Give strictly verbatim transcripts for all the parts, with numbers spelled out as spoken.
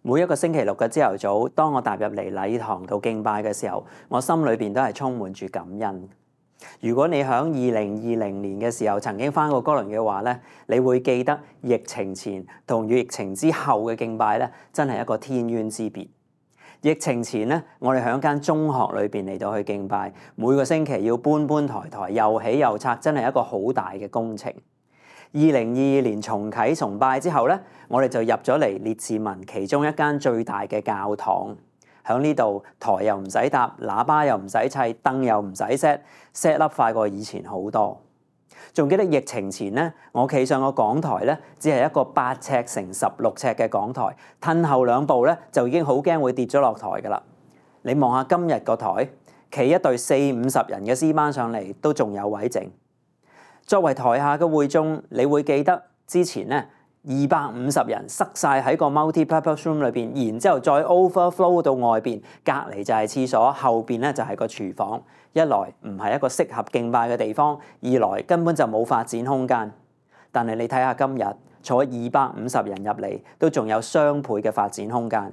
每一個星期六嘅朝頭早，當我踏入嚟禮堂度敬拜嘅時候，我心裏邊都係充滿住感恩。如果你喺二零二零年嘅時候曾經返過哥倫嘅話咧，你會記得疫情前同疫情之後嘅敬拜咧，真係一個天淵之別。疫情前咧，我哋喺間中學裏邊嚟到去敬拜，每個星期要搬搬抬抬，又起又拆，真係一個好大嘅工程。二零二二年重啟崇拜之後咧，我哋就入咗嚟列治文其中一間最大嘅教堂。喺呢度台又唔使搭，喇叭又唔使砌，燈又唔使 set，set up 快過以前好多。仲記得疫情前咧，我企上個講台咧，只係一個八尺乘十六尺嘅講台，褪後兩步咧就已經好驚會跌咗落台㗎啦。你望下今日個台，企一隊四五十人嘅詩班上嚟都仲有位剩。作為台下嘅會眾，你會記得之前咧二百五十人塞晒喺個 multi-purpose room 裏邊，然之後再 overflow 到外邊，隔離就係廁所，後邊咧就係個廚房。一來唔係一個適合敬拜嘅地方，二來根本就冇發展空間。但係你睇下今日坐二百五十人入嚟，都仲有雙倍嘅發展空間。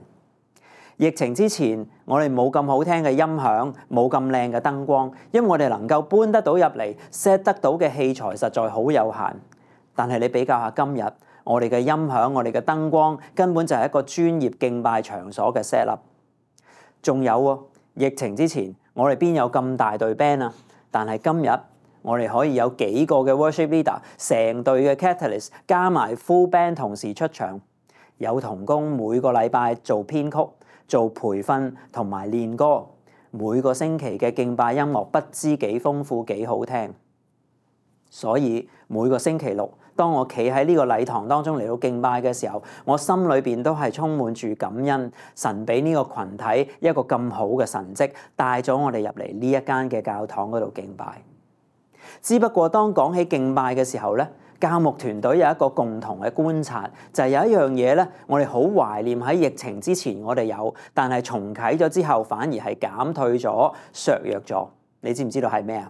疫情之前，我哋冇咁好聽嘅音響，冇咁靚嘅燈光，因為我哋能夠搬得到入嚟 set 得到嘅器材實在好有限。但係你比較下今日，我哋嘅音響、我哋嘅燈光根本就係一個專業敬拜場所嘅 set up。仲有喎，疫情之前我哋邊有咁大隊 band 啊？但係今日我哋可以有幾個嘅 worship leader， 成隊嘅 catalyst 加埋 full band 同時出場，有同工每個禮拜做編曲、做培訓同埋練歌，每個星期嘅敬拜音樂不知幾豐富幾好聽。所以每個星期六，當我企喺呢個禮堂當中嚟到敬拜嘅時候，我心裏邊都係充滿住感恩，神俾呢個群體一個咁好嘅神蹟，帶咗我哋入嚟呢一間嘅教堂嗰度敬拜。只不過當講起敬拜嘅時候咧，教牧團隊有一個共同嘅觀察，就係有一樣嘢咧，我哋好懷念喺疫情之前我哋有，但係重啟咗之後反而係減退咗、削弱咗。你知唔知道係咩啊？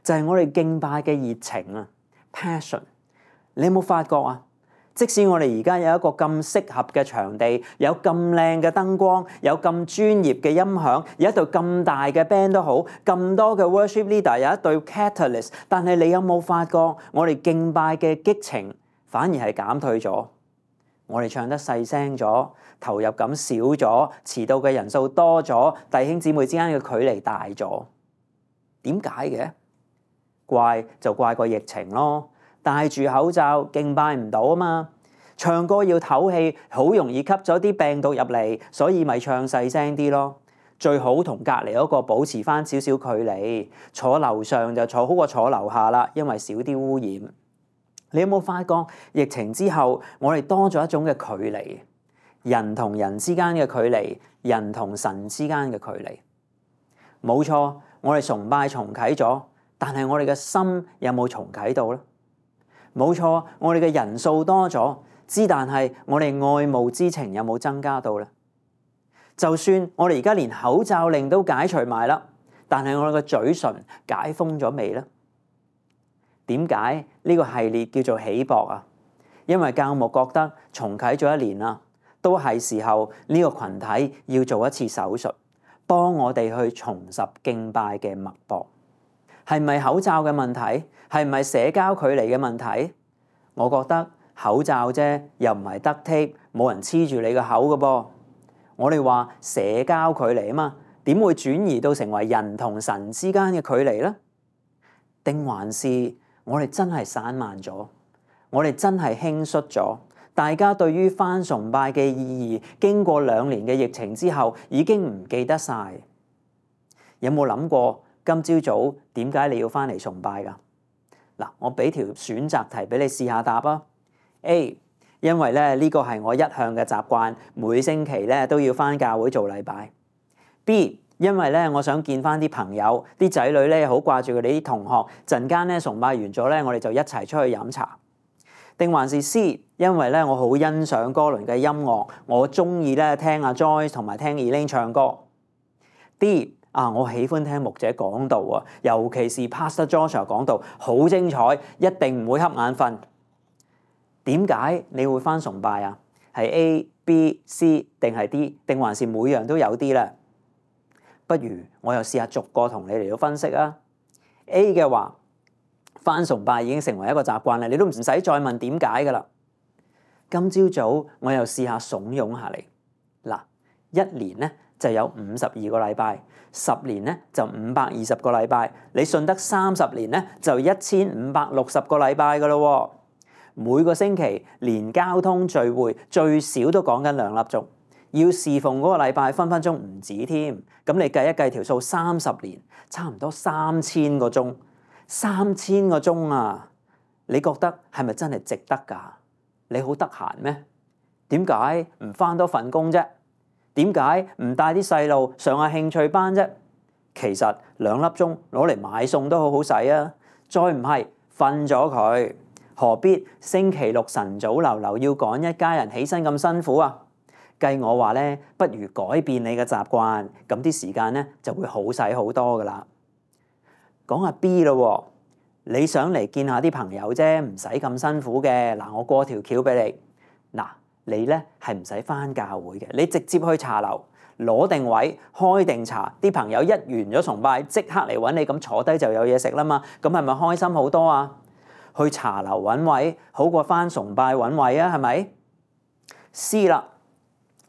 就係我哋敬拜嘅熱情啊 ，passion。你有冇發覺啊？即使我哋而家有一個咁適合嘅場地，有咁靚嘅燈光，有咁專業嘅音響，有一隊咁大嘅 band 都好，咁多嘅 worship leader， 有一隊 catalyst， 但係你有冇發覺我哋敬拜嘅激情反而係減退咗？我哋唱得細聲咗，投入感少咗，遲到嘅人數多咗，弟兄姊妹之間嘅距離大咗。點解嘅？怪就怪個疫情咯。戴住口罩敬拜唔到啊嘛，唱歌要唞氣，好容易吸咗啲病毒入嚟，所以咪唱細聲啲咯。最好同隔離嗰個保持翻少少距離，坐樓上就坐好過坐樓下啦，因為少啲污染。你有冇發覺疫情之後，我哋多咗一種嘅距離，人同人之間嘅距離，人同神之間嘅距離。冇錯，我哋崇拜重啟咗，但係我哋嘅心有冇重啟到咧？冇錯，我哋嘅人數多咗，之但係我哋愛慕之情有冇增加到咧？就算我哋而家連口罩令都解除埋啦，但係我哋嘅嘴唇解封咗未咧？點解呢個系列叫做起搏啊？因為教牧覺得重啟咗一年啦，都係時候呢個群體要做一次手術，幫我哋去重拾敬拜嘅脈搏。係咪口罩嘅問題？係咪社交距離嘅問題？我覺得口罩啫，又唔係得 tape，冇人黐住你個口嘅噃。我哋話社交距離啊嘛，點會轉移到成為人同神之間嘅距離咧？定還是我哋真係散漫咗？我哋真係輕率咗？大家對於返崇拜嘅意義，經過兩年嘅疫情之後，已經唔記得晒。有冇諗過？今朝早點解你要翻嚟崇拜㗎？嗱，我俾條選擇題俾你試下答啊。A， 因為咧呢個係我一向嘅習慣，每星期咧都要翻教會做禮拜。B， 因為咧我想見翻啲朋友，啲仔女咧好掛住佢哋啲同學，陣間咧崇拜完咗咧，我哋就一齊出去飲茶。定還是 C， 因為咧我好欣賞歌倫嘅音樂，我中意咧聽阿 Joyce 同埋聽 Elaine 唱歌。D，啊！我喜歡聽牧者講道啊，尤其是 Pastor Joshua 講道，好精彩，一定唔會瞌眼瞓。點解你會返崇拜啊？係 A， B、C 定係 D， 定還是每樣都有啲咧？不如我又試下逐個同你嚟到分析啊。A 嘅話，返崇拜已經成為一個習慣啦，你都唔使再問點解噶啦。今朝早我又試下慫恿下你。嗱，一年咧就有五十二個禮拜，十年咧就五百二十個禮拜，你信得三十年咧就一千五百六十個禮拜噶咯。每個星期連交通聚會最少都講緊兩粒鐘，要侍奉嗰個禮拜分分鐘唔止添。咁你計一計條數，三十年差唔多三千個鐘，三千個鐘啊！你覺得係咪真係值得㗎？你好得閒咩？點解唔返多份工啫？點解唔帶啲細路上下興趣班啫？其實兩粒鐘攞嚟買餸都好好使啊！再唔係瞓咗佢，何必星期六晨早流流要趕一家人起身咁辛苦啊？計我話咧，不如改變你嘅習慣，咁啲時間咧就會好使好多噶啦。講下 B 咯，你想嚟見下啲朋友啫，唔使咁辛苦嘅。嗱，我過條橋俾你。嗱，你咧係唔使返教會嘅，你直接去茶樓攞定位，開定茶，啲朋友一完咗崇拜，即刻嚟揾你，咁坐低就有嘢食啦嘛。咁係咪開心好多啊？去茶樓揾位好過返崇拜揾位啊，係咪 ？C 啦。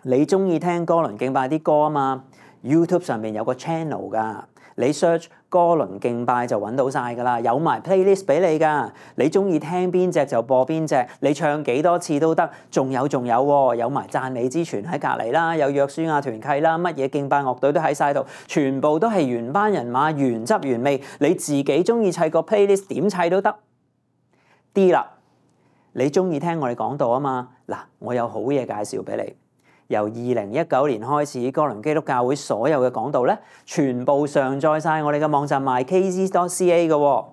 你中意聽歌倫敬拜啲歌啊嘛 ？YouTube 上面有個 channel 噶，你 search 歌倫敬拜就揾到晒噶啦，有埋 playlist 俾你噶。你中意聽邊隻就播邊隻，你唱幾多次都得。仲有仲有喎，有埋讚美之泉喺隔離啦，有約書亞團契啦，乜嘢敬拜樂隊都喺晒度，全部都係原班人馬，原汁原味。你自己中意砌個 playlist 點砌都得。D 啦，你中意聽我哋講道啊嘛？嗱，我有好嘢介紹俾你。由二零一九年開始，歌倫基督教會所有嘅講道咧，全部上載晒我哋嘅網站 my k z dot c a 嘅喎，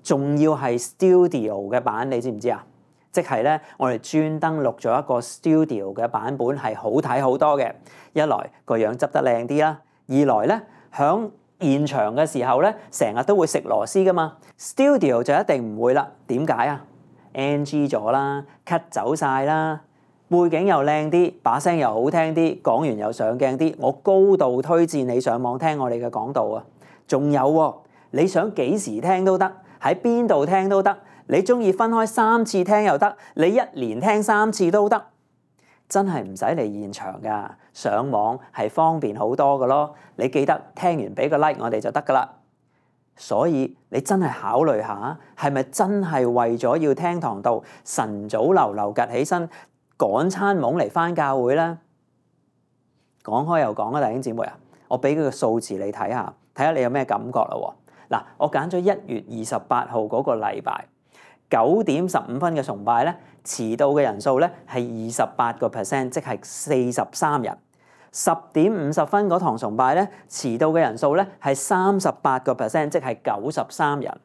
仲要係 studio 嘅版，你知唔知啊？即係咧，我哋專登錄咗一個 studio 嘅版本，係好睇好多嘅。一來個樣執得靚啲啦，二來咧響現場嘅時候咧，成日都會食螺絲噶嘛 ，studio 就一定唔會啦。點解啊 ？N G 咗啦 ，cut 走晒啦。背景又靚啲，把聲又好聽啲，講完又上鏡啲，我高度推薦你上網聽我哋嘅講道啊！仲有喎，你想幾時聽都得，喺邊度聽都得，你中意分開三次聽又得，你一連聽三次都得，真係唔使嚟現場噶，上網係方便好多噶咯。你記得聽完俾個 like 我哋就得噶啦。所以你真係考慮下，係咪真係為咗要聽堂道，晨早流流趌起身，趕餐懵嚟返教會啦。講開又講啊，弟兄姊妹啊，我俾佢個數字你睇下，睇下你有咩感覺啦。嗱，我揀咗一月二十八號嗰個禮拜九點十五分嘅崇拜咧，遲到嘅人數咧係二十八個 percent， 即係四十三人。十點五十分嗰堂崇拜咧，遲到嘅人數咧係三十八個 percent， 即係九十三人。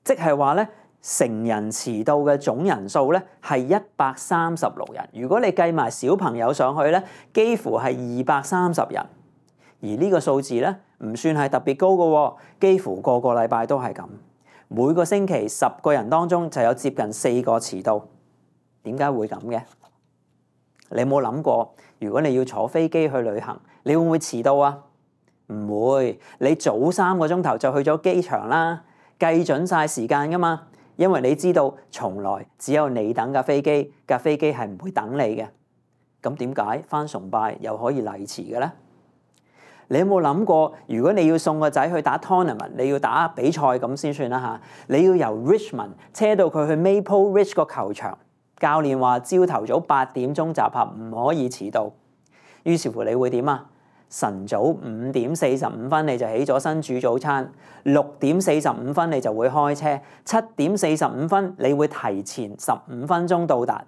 即係話咧，成人遲到嘅總人數咧係一百三十六人，如果你計埋小朋友上去咧，幾乎係二百三十人。而呢個數字咧唔算係特別高嘅，幾乎個個禮拜都係咁。每個星期十個人當中就有接近四個遲到。點解會咁嘅？你有冇諗過，如果你要坐飛機去旅行，你會唔會遲到啊？唔會，你早三個鐘頭就去咗機場啦，計準晒時間噶嘛。因為你知道，從來只有你等架飛機，架飛機係唔會等你嘅。咁點解返崇拜又可以嚟遲嘅咧？你有冇諗過，如果你要送個仔去打 tournament， 你要打比賽咁先算啦嚇，你要由 Richmond 車到佢去 Maple Ridge 個球場，教練話朝頭早八點鐘集合，唔可以遲到。於是乎你會點啊？晨早五點四十五分你就起咗身煮早餐，六點四十五分你就會開車，七點四十五分你會提前十五分鐘到達。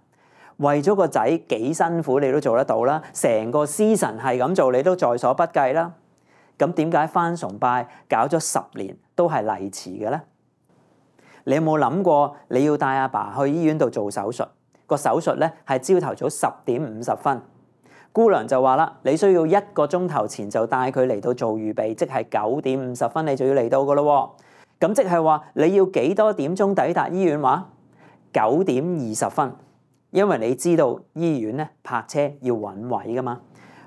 為咗個仔幾辛苦你都做得到啦，成個 season 係咁做你都在所不計啦。咁點解返崇拜搞咗十年都係嚟遲嘅咧？你有冇諗過你要帶阿爸去醫院度做手術？個手術咧係朝頭早十點五十分。姑娘就話啦，你需要一個鐘頭前就帶佢嚟到做預備，即係九點五十分你就要嚟到噶咯。咁即係話你要幾多點鐘抵達醫院話？九點二十分。因為你知道醫院咧泊車要揾位噶嘛，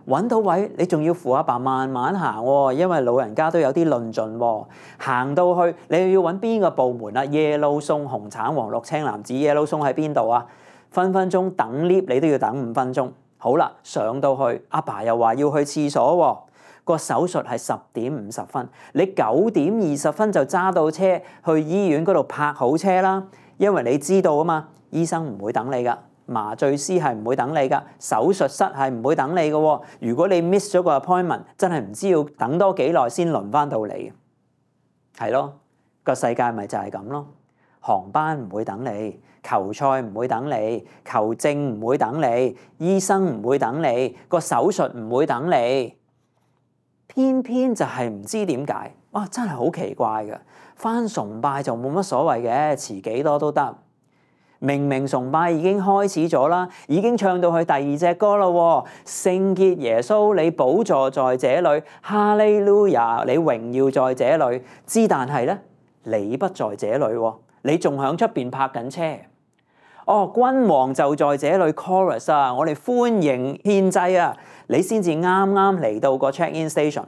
揾到位你仲要扶阿爸慢慢行喎，因為老人家都有啲論盡喎。行到去你又要揾邊個部門啊？ Yellow 送紅橙黃綠青藍紫 Yellow 送喺邊度啊？分分鐘等 lift 你都要等五分鐘。好啦，上到去阿爸又話要去廁所喎，個手術係十點五十分，你九點二十分就揸到車去醫院嗰度泊好車啦，因為你知道啊嘛，醫生唔會等你噶。麻醉師係唔會等你噶，手術室係唔會等你噶喎。如果你 miss 咗個 appointment，真係唔知要等多幾耐先輪翻到你。係咯，個世界咪就係咁咯。航班唔會等你，球賽唔會等你，球證唔會等你，醫生唔會等你，個手術唔會等你。偏偏就係唔知點解，哇！真係好奇怪㗎。返崇拜就冇乜所謂嘅，遲幾多都得。明明崇拜已經開始咗啦，已經唱到去第二隻歌啦喎，聖潔耶穌，你寶座在這裡，哈利路亞，你榮耀在這裡。之但係咧，你不在這裡喎，你仲響出邊泊緊車。哦，君王就在這裡 chorus 啊，我哋歡迎獻祭啊，你先至啱啱嚟到個 check-in station。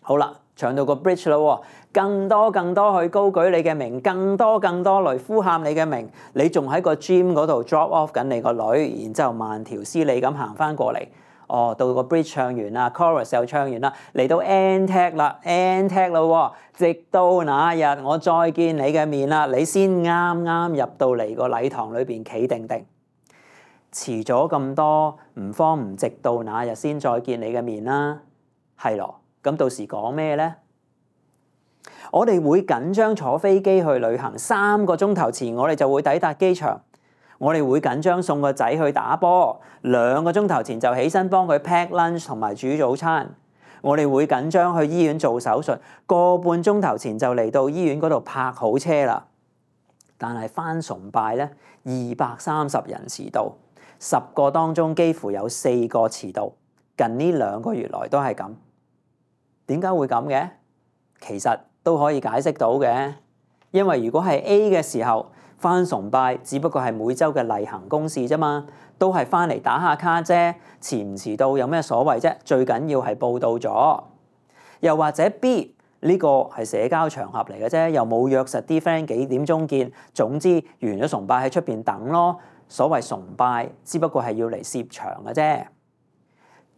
好啦，唱到個 bridge 啦喎。更多更多去高舉你嘅名，更多更多嚟呼喊你嘅名，你仲喺個 gym 嗰度 drop off 緊你個女，然之後慢條斯理咁行翻過嚟。哦，到個 bridge 唱完啦 ，chorus 又唱完啦，嚟到 end tag 啦 ，end tag 啦喎，直到那日我再見你嘅面啦，你先啱啱入到嚟個禮堂裏邊企定定。遲咗咁多，唔慌唔直到那日先再見你嘅面啦，係咯，咁到時講咩咧？我哋會緊張坐飛機去旅行，三個鐘頭前我哋就會抵達機場。我哋會緊張送個仔去打波，兩個鐘頭前就起身幫佢 pack lunch 同埋煮早餐。我哋會緊張去醫院做手術，個半鐘頭前就嚟到醫院嗰度泊好車啦。但係返崇拜咧，二百三十人遲到，十個當中幾乎有四個遲到。近呢兩個月來都係咁。點解會咁嘅？其實都可以解釋到嘅，因為如果係 A 嘅時候返崇拜，只不過係每週嘅例行公事啫嘛，都係返嚟打下卡啫，遲唔遲到有咩所謂啫？最緊要係報到咗。又或者 B 呢個係社交場合嚟嘅啫，又冇約實啲 friend 幾點鐘見，總之完咗崇拜喺出邊等咯。所謂崇拜，只不過係要嚟攝場嘅啫。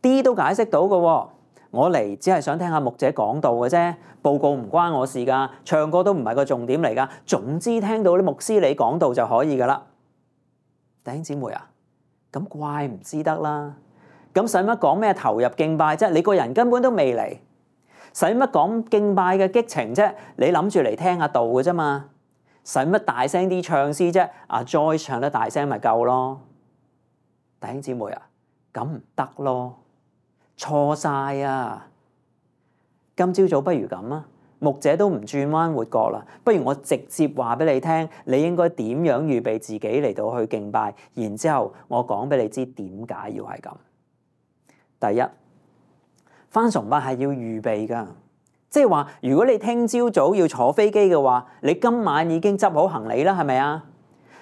D 都解釋到嘅喎。我嚟只係想聽下牧者講道嘅啫，報告唔關我事㗎，唱歌都唔係個重點嚟㗎。總之聽到啲牧師你講道就可以㗎啦。弟兄姊妹啊，咁怪唔知得啦。咁使乜講咩投入敬拜啫？你個人根本都未嚟，使乜講敬拜嘅激情啫？你諗住嚟聽下道嘅啫嘛。使乜大聲啲唱詩啫？阿 Joy 唱得大聲咪夠咯。弟兄姊妹啊，咁唔得咯。錯晒啊！今朝早不如咁啊，牧者都唔轉彎抹角啦，不如我直接話俾你聽，你應該點樣預備自己嚟到去敬拜，然之後我講俾你知點解要係咁。第一，返崇拜係要預備㗎，即係話如果你聽朝早要坐飛機嘅話，你今晚已經執好行李啦，係咪啊？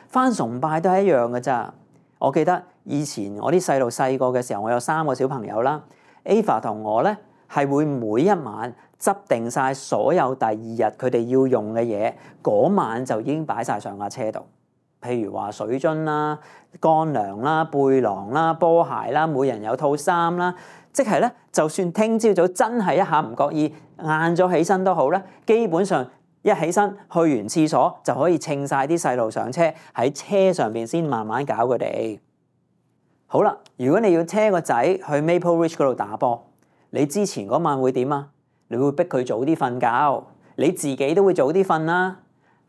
返崇拜都係一樣㗎咋。我記得以前我啲細路細個嘅時候，我有三個小朋友啦。Ava 同我咧係會每一晚執定晒所有第二日佢哋要用嘅嘢，嗰晚就已經擺晒上架車度。譬如話水樽啦、乾糧啦、背囊啦、波鞋啦，每人有套衫啦。即係咧，就算聽朝早真係一下唔覺意晏咗起身都好啦，基本上一起身去完廁所就可以稱晒啲細路上車，喺車上邊先慢慢搞佢哋。好啦，如果你要車個仔去 Maple Ridge 嗰度打波，你之前嗰晚會點啊？你會逼佢早啲瞓覺，你自己都會早啲瞓啦。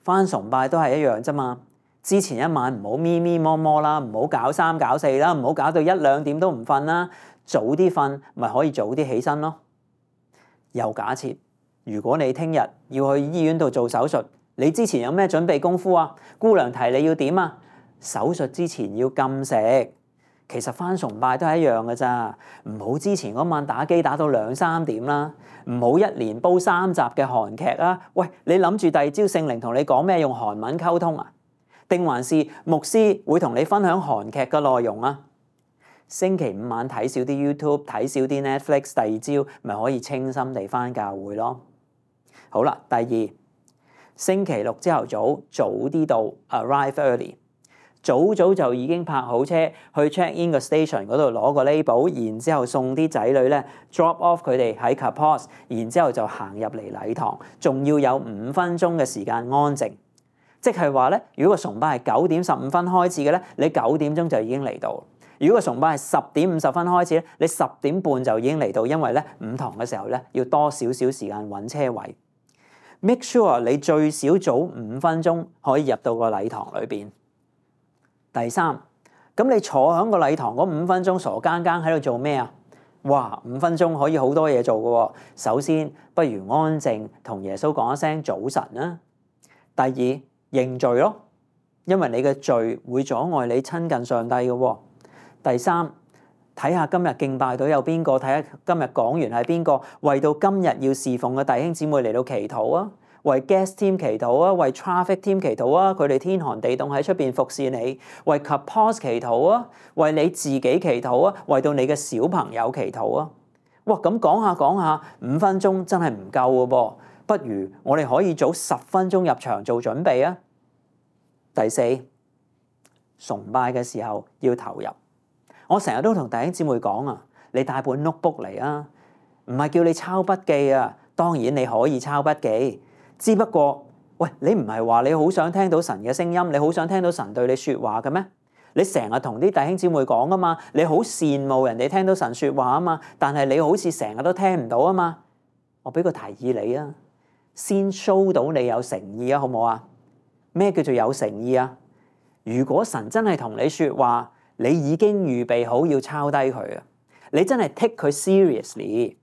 返崇拜都係一樣啫嘛。之前一晚唔好咪咪摸摸啦，唔好搞三搞四啦，唔好搞到一兩點都唔瞓啦。早啲瞓咪可以早啲起身咯。又假設如果你聽日要去醫院度做手術，你之前有咩準備功夫啊？姑娘提你要點啊？手術之前要禁食。其實返崇拜都係一樣嘅咋，唔好之前嗰晚打機打到兩三點啦，唔好一連煲三集嘅韓劇啊！喂，你諗住第二朝聖靈同你講咩用韓文溝通啊？定還是牧師會同你分享韓劇嘅內容啊？星期五晚睇少啲 YouTube， 睇少啲 Netflix， 第二朝咪可以清心地返教會咯。好啦，第二，星期六朝頭早早啲到 ，arrive early， 早早就已經泊好車去 check in 個 station 嗰度攞個 label， 然之後送啲仔女咧 drop off 佢哋喺 campus， 然之後就行入嚟禮堂，仲要有五分鐘嘅時間安靜。即係話咧，如果個崇拜係九點十五分開始嘅咧，你九點鐘就已經嚟到；如果個崇拜係十點五十分開始咧，你十點半就已經嚟到，因為咧午堂嘅時候咧要多少少時間揾車位。Make sure 你最少早五分鐘可以入到個禮堂裏邊。第三，咁你坐喺個禮堂嗰五分鐘傻更更喺度做咩啊？哇，五分鐘可以好多嘢做㗎喎。首先，不如安靜同耶穌講一聲早晨啦。第二，認罪咯，因為你嘅罪會阻礙你親近上帝嘅喎。第三，睇下今日敬拜隊有邊個，睇下今日講員係邊個，為到今日要侍奉嘅弟兄姊妹嚟到祈禱啊，為 guest team 祈禱啊，為 traffic team 祈禱啊，佢哋天寒地凍喺出邊服侍你，為 campus 祈禱啊，為你自己祈禱啊，為到你嘅小朋友祈禱啊。哇，咁講下講下，五分鐘真係唔夠嘅噃，不如我哋可以早十分鐘入場做準備啊。第四，崇拜嘅時候要投入。我成日都同弟兄姊妹講啊，你帶本 notebook 嚟啊，唔係叫你抄筆記啊，當然你可以抄筆記，只不過喂，你唔係話你好想聽到神嘅聲音，你好想聽到神對你說話嘅咩？你成日同啲弟兄姊妹講啊嘛，你好羨慕人哋聽到神說話啊嘛，但係你好似成日都聽唔到啊嘛。我俾個提議你啊，先 show 到你有誠意啊，好唔好啊？咩叫做有誠意啊？如果神真係同你說話，你已經預備好要抄低佢啊！你真係 take 佢 seriously，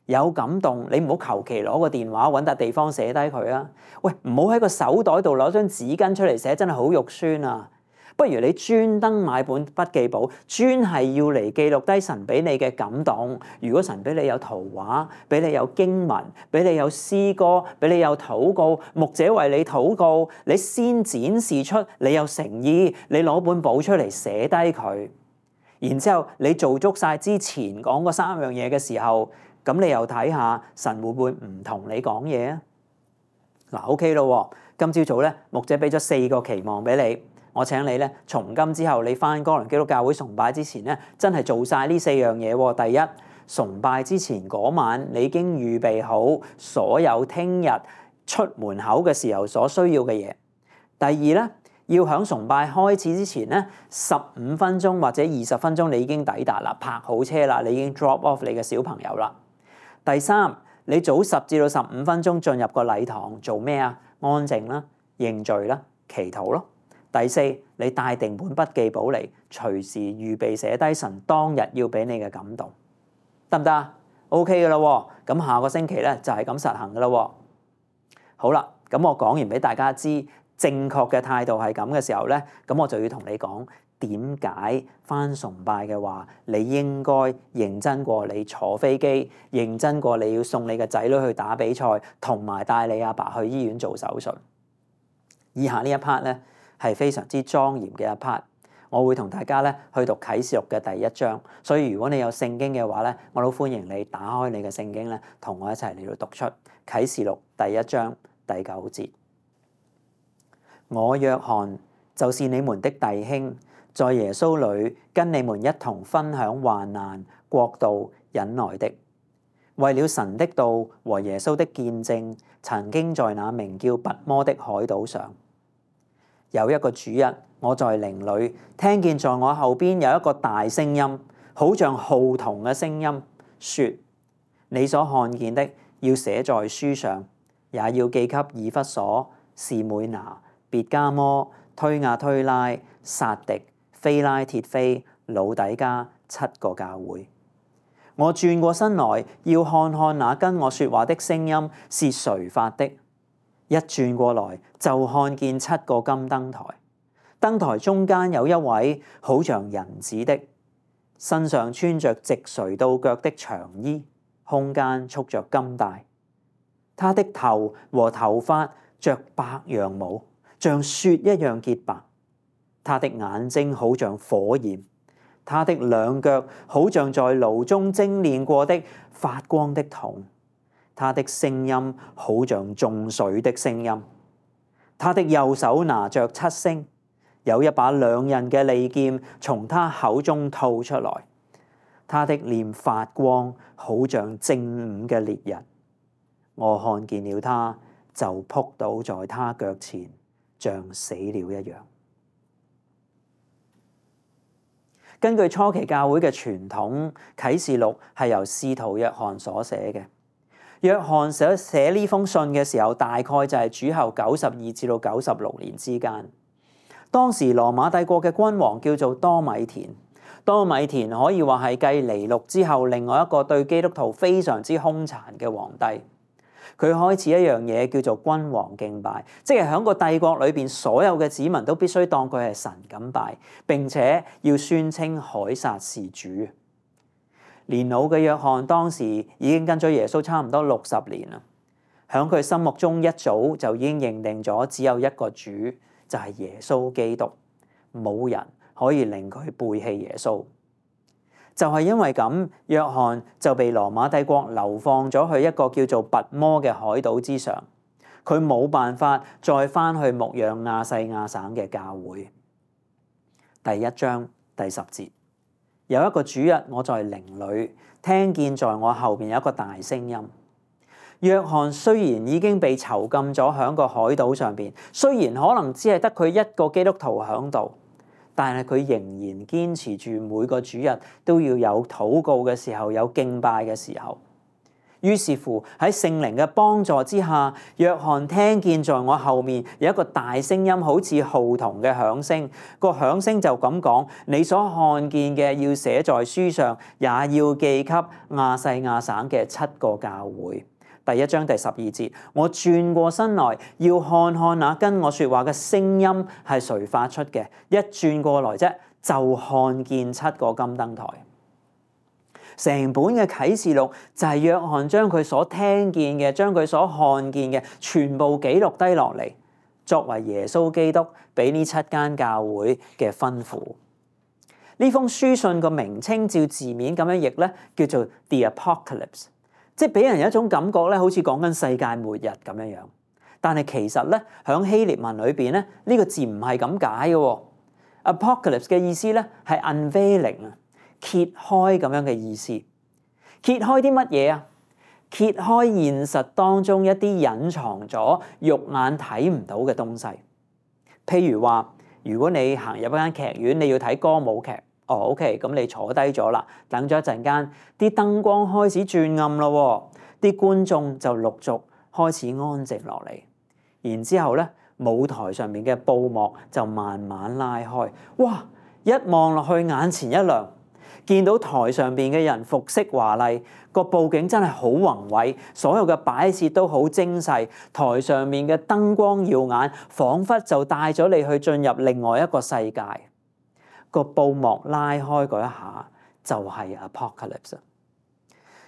有感動，你唔好求其攞個電話揾笪地方寫低佢啊！喂，唔好喺個手袋度攞張紙巾出嚟寫，真係好肉酸啊！不如你專登買本筆記簿，專係要嚟記錄低神俾你嘅感動。如果神俾你有圖畫，俾你有經文，俾你有詩歌，俾你有禱告，牧者為你禱告，你先展示出你有誠意，你攞本簿出嚟寫低佢。然之後你做足晒之前講嗰三樣嘢嘅時候，咁你又睇下神會唔會唔同你講嘢啊？嗱 ，OK 咯，今朝早咧，牧者俾咗四個期望俾你。我請你咧，從今之後你返哥倫基督教會崇拜之前咧，真係做晒呢四樣嘢喎。第一，崇拜之前嗰晚，你已經預備好所有聽日出門口嘅時候所需要嘅嘢。第二咧，要喺崇拜開始之前咧，十五分鐘或者二十分鐘你已經抵達啦，泊好車啦，你已經 drop off 你嘅小朋友啦。第三，你早十至到十五分鐘進入個禮堂做咩啊？安靜啦，認罪啦，祈禱咯。第四，你帶定本筆記簿嚟，隨時預備寫低神當日要俾你嘅感動，得唔得啊？OK 噶啦，咁下個星期咧就係咁實行噶啦。好啦，咁我講完俾大家知正確嘅態度係咁嘅時候咧，咁我就要同你講點解返崇拜嘅話，你應該認真過你坐飛機，認真過你要送你嘅仔女去打比賽，同埋帶你阿爸去醫院做手術。以下呢一 part 咧，係非常之莊嚴嘅一 part， 我會同大家咧去讀啟示錄嘅第一章，所以如果你有聖經嘅話咧，我都歡迎你打開你嘅聖經咧，同我一齊嚟到讀出啟示錄第一章第九節。我約翰就是你們的弟兄，在耶穌裏跟你們一同分享患難、國度、忍耐的，為了神的道和耶穌的見證，曾經在那名叫拔摩的海島上。有一個主日，我在靈裏聽見在我後邊有一個大聲音，好像號筒嘅聲音，說：你所看見的要寫在書上，也要寄給以弗所、士每拿、別加摩、推雅推拉、撒狄、非拉鐵非、老底加七個教會。我轉過身來，要看看那跟我說話的聲音是誰發的。一轉過來，就看見七個金燈台，燈台中間有一位好像人子的，身上穿着直垂到腳的長衣，胸間束着金帶。他的頭和頭髮着白羊毛，像雪一樣潔白，他的眼睛好像火焰，他的兩腳好像在爐中精煉過的發光的銅，他的聲音好像眾水的聲音。他的右手拿着七星，有一把兩刃嘅利劍從他口中吐出來。他的臉發光，好像正午嘅烈日。我看見了他，就仆倒在他腳前，像死了一樣。根據初期教會嘅傳統，啟示錄係由使徒約翰所寫嘅。約翰寫寫呢封信嘅時候，大概就係主後九十二至到九十六年之間。當時羅馬帝國嘅君王叫做多米田。多米田可以話係繼尼祿之後另外一個對基督徒非常之兇殘嘅皇帝。佢開始一樣嘢叫做君王敬拜，即係喺個帝國裏邊所有嘅子民都必須當佢係神咁拜，並且要宣稱凱撒是主。年老嘅約翰當時已經跟咗耶穌差唔多六十年啦，喺佢心目中一早就已經認定咗只有一個主，就係耶穌基督，冇人可以令佢背棄耶穌。就係因為咁，約翰就被羅馬帝國流放咗去一個叫做拔摩嘅海島之上，佢冇辦法再翻去牧養亞細亞省嘅教會。第一章第十節，有一個主日，我在靈裏聽見在我後邊有一個大聲音。約翰雖然已經被囚禁咗喺個海島上邊，雖然可能只係得佢一個基督徒喺度，但係佢仍然堅持住每個主日都要有禱告嘅時候，有敬拜嘅時候。於是乎喺聖靈嘅幫助之下，約翰聽見在我後面有一個大聲音，好似號筒嘅響聲。個響聲就咁講：你所看見嘅要寫在書上，也要記給亞細亞省嘅七個教會。第一章第十二節，我轉過身來要看看那跟我說話嘅聲音係誰發出嘅。一轉過來啫，就看見七個金燈台。成本嘅啟示錄就係約翰將佢所聽見嘅、將佢所看見嘅全部記錄低落嚟，作為耶穌基督俾呢七間教會嘅吩咐。呢封書信個名稱照字面咁樣譯咧，叫做 The Apocalypse。即係俾人有一種感覺咧，好似講緊世界末日咁樣樣。但係其實咧，響希臘文裏邊咧，呢個字唔係咁解嘅。Apocalypse 嘅意思咧係 unveiling 啊，揭開咁樣嘅意思。揭開啲乜嘢啊？揭開現實當中一啲隱藏咗肉眼睇唔到嘅東西。譬如話，如果你行入一間劇院，你要睇歌舞劇。哦 ，OK， 咁你坐低咗啦，等咗一陣間，啲燈光開始轉暗咯，啲觀眾就陸續開始安靜落嚟，然之後咧，舞台上面嘅布幕就慢慢拉開，哇！一望落去眼前一亮，見到台上邊嘅人服飾華麗，個佈景真係好宏偉，所有嘅擺設都好精細，台上面嘅燈光耀眼，彷彿就帶咗你去進入另外一個世界。個布幕拉開嗰一下就係 Apocalypse。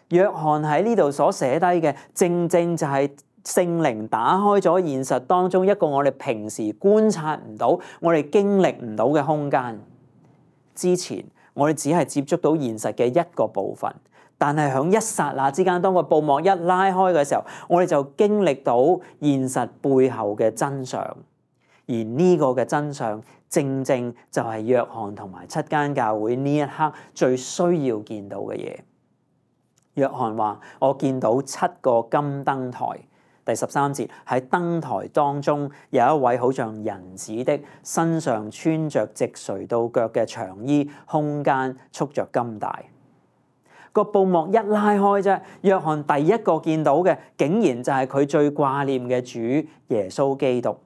約翰喺呢度所寫低嘅，正正就係聖靈打開咗現實當中一個我哋平時觀察唔到、我哋經歷唔到嘅空間。之前我哋只係接觸到現實嘅一個部分，但係響一剎那之間，當個布幕一拉開嘅時候，我哋就經歷到現實背後嘅真相。而呢個嘅真相，正正就係約翰同埋七間教會呢一刻最需要見到嘅嘢。約翰話：我見到七個金燈台。第十三節，喺燈台當中有一位好像人子的，身上穿着直垂到腳嘅長衣，胸間束着金帶。個布幕一拉開啫，約翰第一個見到嘅，竟然就係佢最掛念嘅主耶穌基督。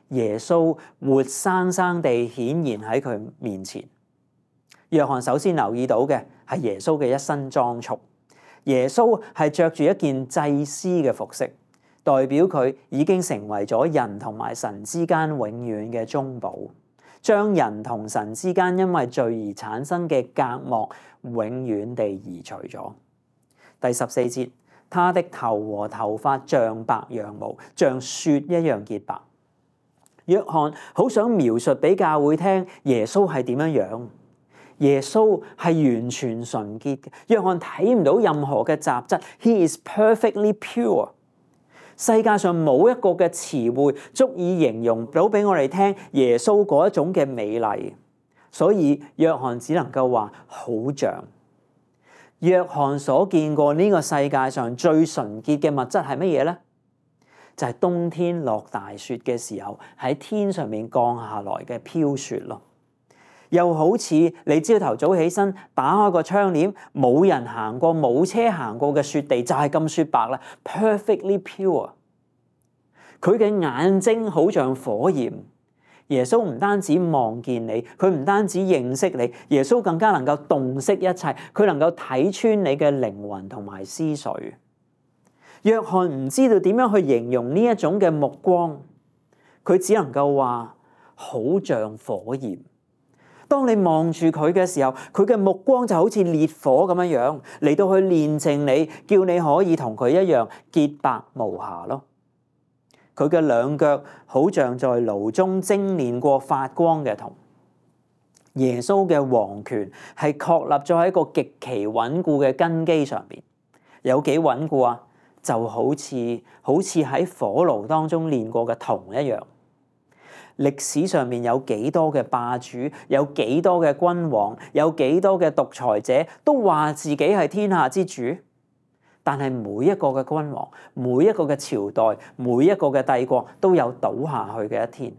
耶穌活生生地顯現喺佢面前。約翰首先留意到嘅係耶穌嘅一身裝束。耶穌係着住一件祭司嘅服飾，代表佢已經成為咗人同埋神之間永遠嘅中保，將人同神之間因為罪而產生嘅隔膜永遠地移除咗。第十四節，他的頭和頭髮像白羊毛，像雪一樣潔白。約翰好想描述俾教會聽耶穌係點樣樣。耶穌係完全純潔嘅。約翰睇唔到任何嘅雜質。He is perfectly pure。世界上冇一個嘅詞彙足以形容到俾我哋聽耶穌嗰一種嘅美麗，所以約翰只能夠話好像。約翰所見過呢個世界上最純潔嘅物質係乜嘢呢？就係冬天落大雪嘅時候喺天上面降下來嘅飄雪咯。又好似你朝頭早起身打開個窗簾，冇人行過冇車行過嘅雪地就係咁雪白啦 ，perfectly pure。佢嘅眼睛好像火焰。耶穌唔單止望見你，佢唔單止認識你，耶穌更加能夠洞悉一切，佢能夠睇穿你嘅靈魂同埋思緒。約翰唔知道點樣去形容呢一種嘅目光，佢只能夠話好像火焰。當你望住佢嘅時候，佢嘅目光就好似烈火咁樣樣嚟到去煉淨你，叫你可以同佢一樣潔白無瑕咯。佢嘅兩腳好像在爐中精煉過發光嘅銅。耶穌嘅王權係確立咗喺一個極其穩固嘅根基上邊。有幾穩固啊？就好似好似喺火爐當中煉過嘅銅一樣。歷史上面有幾多嘅霸主，有幾多嘅君王，有幾多嘅獨裁者，都話自己係天下之主。但係每一個嘅君王，每一個嘅朝代，每一個嘅帝國都有倒下去嘅一天。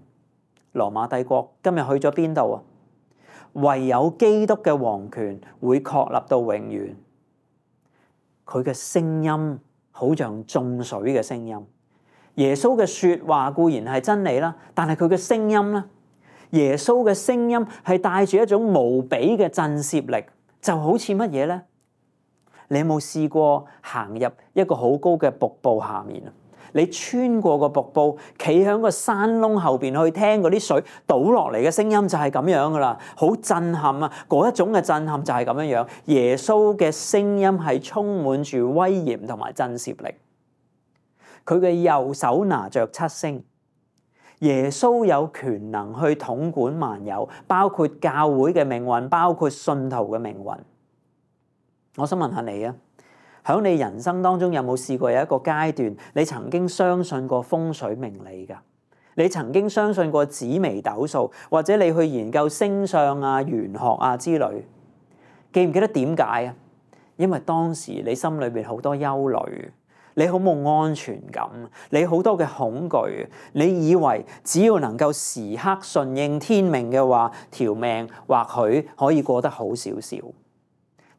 羅馬帝國今日去咗邊度啊？唯有基督嘅王權會確立到永遠。佢嘅聲音好像眾水嘅聲音。耶穌嘅說話固然係真理啦，但係佢嘅聲音咧，耶穌嘅聲音係帶住一種無比嘅震懾力，就好似乜嘢咧？你有冇試過行入一個好高嘅瀑布下面啊？你穿過個瀑布，企喺個山窿後邊去聽嗰啲水倒落嚟嘅聲音，就係咁樣噶啦，好震撼啊！嗰一種嘅震撼就係咁樣樣。耶穌嘅聲音係充滿住威嚴同埋震懾力。佢嘅右手拿着七星。耶穌有權能去統管萬有，包括教會嘅命運，包括信徒嘅命運。我想問下你啊，喺你人生當中有冇試過有一個階段，你曾經相信過風水命理㗎？你曾經相信過紫微斗數，或者你去研究星相啊、玄學啊之類？記唔記得點解啊？因為當時你心裏邊好多憂慮。你好冇安全感，你好多嘅恐懼，你以為只要能夠時刻順應天命嘅話，條命或許可以過得好少少。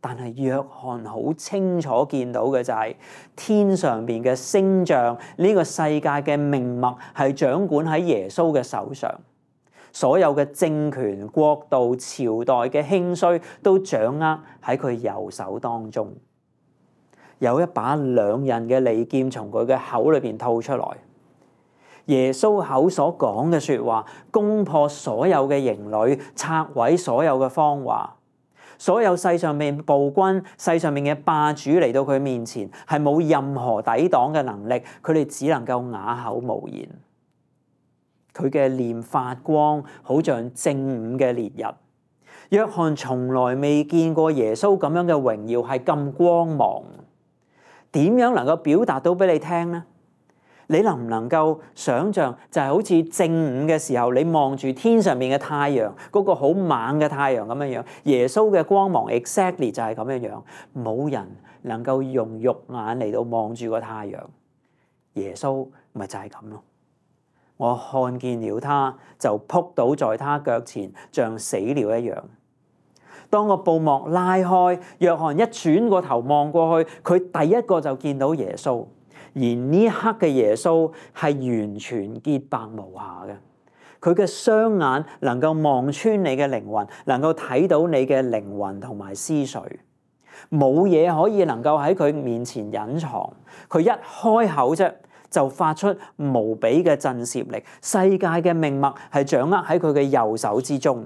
但係約翰好清楚見到嘅就係、是、天上邊嘅星象，呢、這個世界嘅命脈係掌管喺耶穌嘅手上，所有嘅政權、國度、朝代嘅興衰都掌握喺佢右手當中。有一把兩刃嘅利劍從佢嘅口裏邊吐出來。耶穌口所講嘅說話，攻破所有嘅營壘，拆毀所有嘅謊話。所有世上面暴君、世上面嘅霸主嚟到佢面前，係冇任何抵擋嘅能力，佢哋只能夠啞口無言。佢嘅臉發光，好像正午嘅烈日。約翰從來未見過耶穌咁樣嘅榮耀，係咁光芒。點樣能夠表達到俾你聽呢？你能唔能夠想像就係好似正午嘅時候，你望住天上面嘅太陽，嗰個好猛嘅太陽咁樣樣，耶穌嘅光芒 exactly 就係咁樣樣，冇人能夠用肉眼嚟到望住個太陽，耶穌咪就係咁咯。我看見了他，就仆倒在他腳前，像死了一樣。當個布幕拉開，約翰一轉個頭望過去，佢第一個就見到耶穌。而呢一刻嘅耶穌係完全潔白無瑕嘅，佢嘅雙眼能夠望穿你嘅靈魂，能夠睇到你嘅靈魂同埋思緒，冇嘢可以能夠喺佢面前隱藏。佢一開口啫，就發出無比嘅震懾力。世界嘅命脈係掌握喺佢嘅右手之中，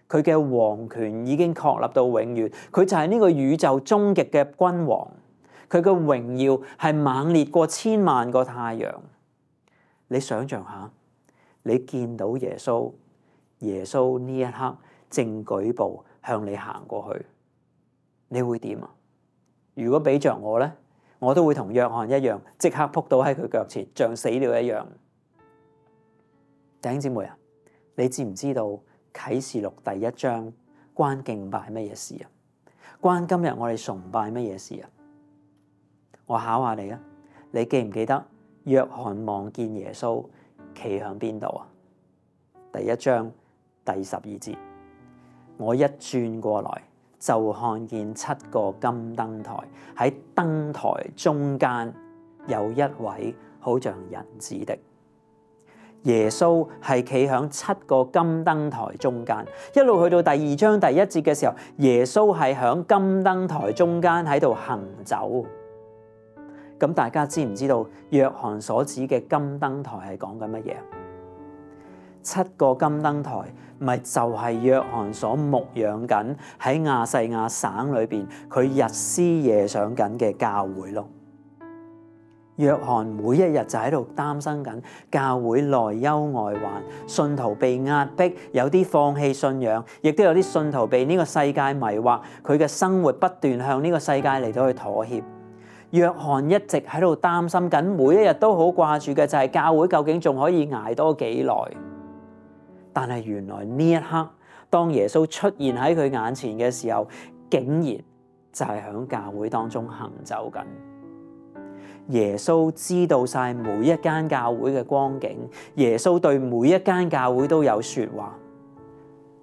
佢嘅王權已經確立到永遠，佢就係呢個宇宙終極嘅君王。佢嘅榮耀係猛烈過千萬個太陽。你想象下，你見到耶穌，耶穌呢一刻正舉步向你行過去，你會點啊？如果俾着我咧，我都會同約翰一樣，即刻撲倒喺佢腳前，像死了一樣。弟兄姊妹啊，你知唔知道啟示錄第一章關敬拜乜嘢事啊？關今日我哋崇拜乜嘢事啊？我考下你啊，你記唔記得約翰望見耶穌企響邊度啊？第一章第十二節，我一轉過來就看見七個金燈台，喺燈台中間有一位好像人子的。耶穌係企響七個金燈台中間，一路去到第二章第一節嘅時候，耶穌係響金燈台中間喺度行走。咁大家知唔知道約翰所指嘅金燈台係講緊乜嘢？七個金燈台咪就係約翰所牧養緊喺亞細亞省裏邊佢日思夜想緊嘅教會咯。約翰每一日就喺度擔心緊教會內憂外患，信徒被壓迫，有啲放棄信仰，亦都有啲信徒被呢個世界迷惑，佢嘅生活不斷向呢個世界嚟到去妥協。約翰一直喺度擔心緊，每一日都好掛住嘅就係教會究竟仲可以捱多幾耐？但係原來呢一刻，當耶穌出現喺佢眼前嘅時候，竟然就係響教會當中行走緊。耶穌知道晒每一間教會嘅光景，耶穌對每一間教會都有說話。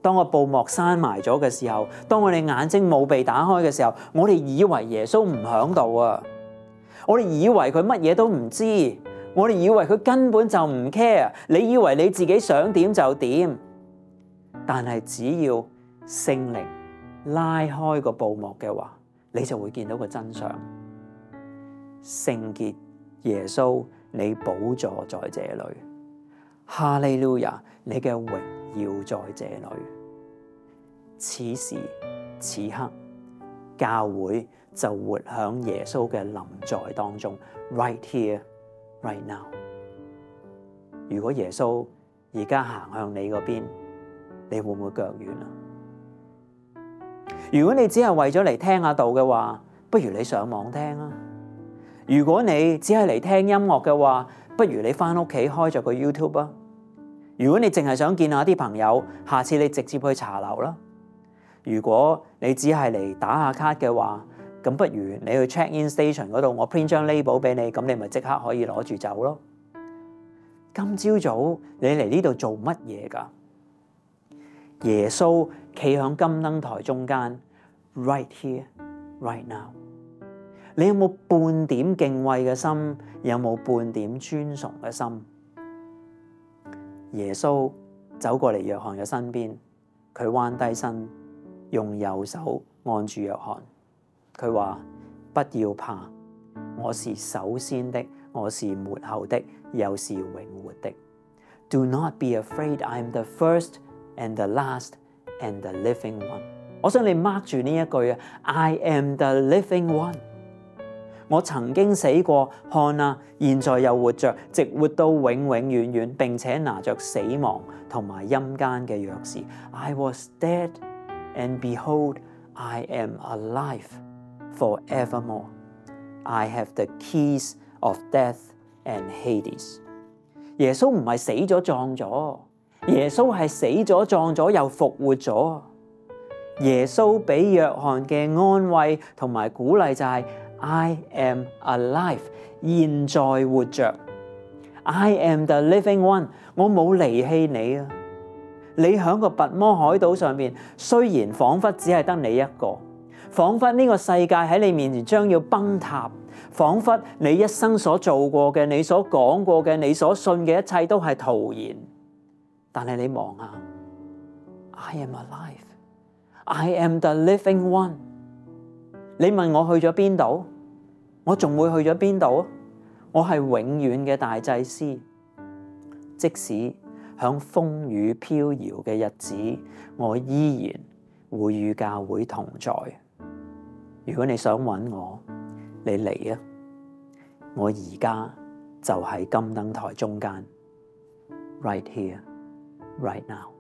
當個布幕閂埋咗嘅時候，當我哋眼睛冇被打開嘅時候，我哋以為耶穌唔響度啊！我哋以為佢乜嘢都唔知，我哋以為佢根本就唔 care。你以為你自己想點就點，但係只要聖靈拉開個布幕嘅話，你就會見到個真相。聖潔耶穌，你寶座在這裏，哈利路亞，你嘅榮耀在這裏。此時此刻，教會就活響耶穌嘅臨在當中 ，right here, right now。如果耶穌而家行向你嗰邊，你會唔會腳軟啊？如果你只係為咗嚟聽下道嘅話，不如你上網聽啊。如果你只係嚟聽音樂嘅話，不如你返屋企開咗個 YouTube 啊。如果你淨係想見下啲朋友，下次你直接去茶樓啦。如果你只係嚟打下卡嘅話，咁不如你去 check in station 嗰度，我 print 張 label 俾你，咁你咪即刻可以攞住走咯。今朝早你嚟呢度做乜嘢㗎？耶穌企響金燈台中間 ，right here, right now。你有冇半點敬畏嘅心？有冇半點尊崇嘅心？耶穌走過嚟約翰嘅身邊，佢彎低身，用右手按住約翰。佢話：不要怕，我是首先的，我是末後的，又是永活的。Do not be afraid, I am the first and the last and the living one。我想你 mark 住呢一句啊 ，I am the living one。我曾經死過，看啊，現在又活着，直活到永永遠遠，並且拿着死亡同埋陰間嘅鑰匙。I was dead, and behold, I am alive forevermore. I have the keys of death and Hades。耶穌唔係死咗葬咗，耶穌係死咗葬咗又復活咗。耶穌俾約翰嘅安慰同埋鼓勵就係I am alive， 現在活着。I am the living one， 我冇離棄你啊！你喺個拔摩海島上面，雖然彷彿只係得你一個，彷彿呢個世界喺你面前將要崩塌，彷彿你一生所做過嘅、你所講過嘅、你所信嘅一切都係徒然。但係你望下 ，I am alive，I am the living one。你問我去咗邊度？我仲會去咗邊度？我係永遠嘅大祭司，即使響風雨飄搖嘅日子，我依然會與教會同在。如果你想揾我，你嚟啊！我而家就喺金燈台中間， right here, right now。